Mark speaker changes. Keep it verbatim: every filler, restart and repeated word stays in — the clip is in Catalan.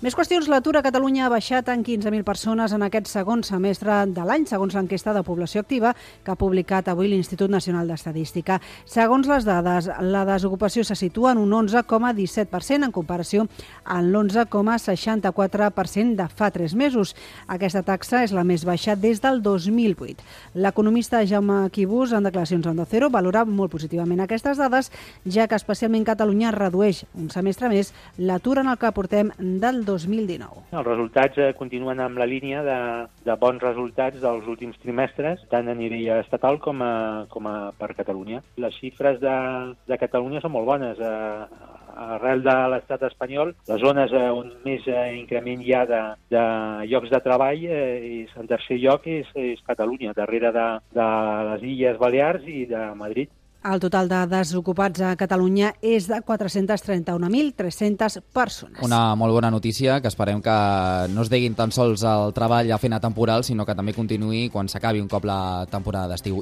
Speaker 1: Més qüestions, l'atur a Catalunya ha baixat en quinze mil persones en aquest segon semestre de l'any, segons l'enquesta de població activa que ha publicat avui l'Institut Nacional d'Estadística. Segons les dades, la desocupació se situa en un onze coma disset per cent en comparació amb l'onze coma seixanta-quatre per cent de fa tres mesos. Aquesta taxa és la més baixa des del dos mil vuit. L'economista Jaume Quibus, en declaracions a Onda Cero, valora molt positivament aquestes dades, ja que especialment Catalunya redueix un semestre més l'atur en el que portem del dos mil dinou.
Speaker 2: Els resultats eh, continuen amb la línia de, de bons resultats dels últims trimestres, tant a nivell estatal com a, com a per Catalunya. Les xifres de, de Catalunya són molt bones. Eh, arrel de l'estat espanyol, les zones eh, on més eh, increment hi ha de, de llocs de treball, eh, és, en tercer lloc és, és Catalunya, darrere de, de les Illes Balears i de Madrid.
Speaker 1: El total de desocupats a Catalunya és de quatre-cents trenta-un mil tres-centes persones.
Speaker 3: Una molt bona notícia, que esperem que no es deguin tan sols el treball a feina temporal, sinó que també continuï quan s'acabi un cop la temporada d'estiu.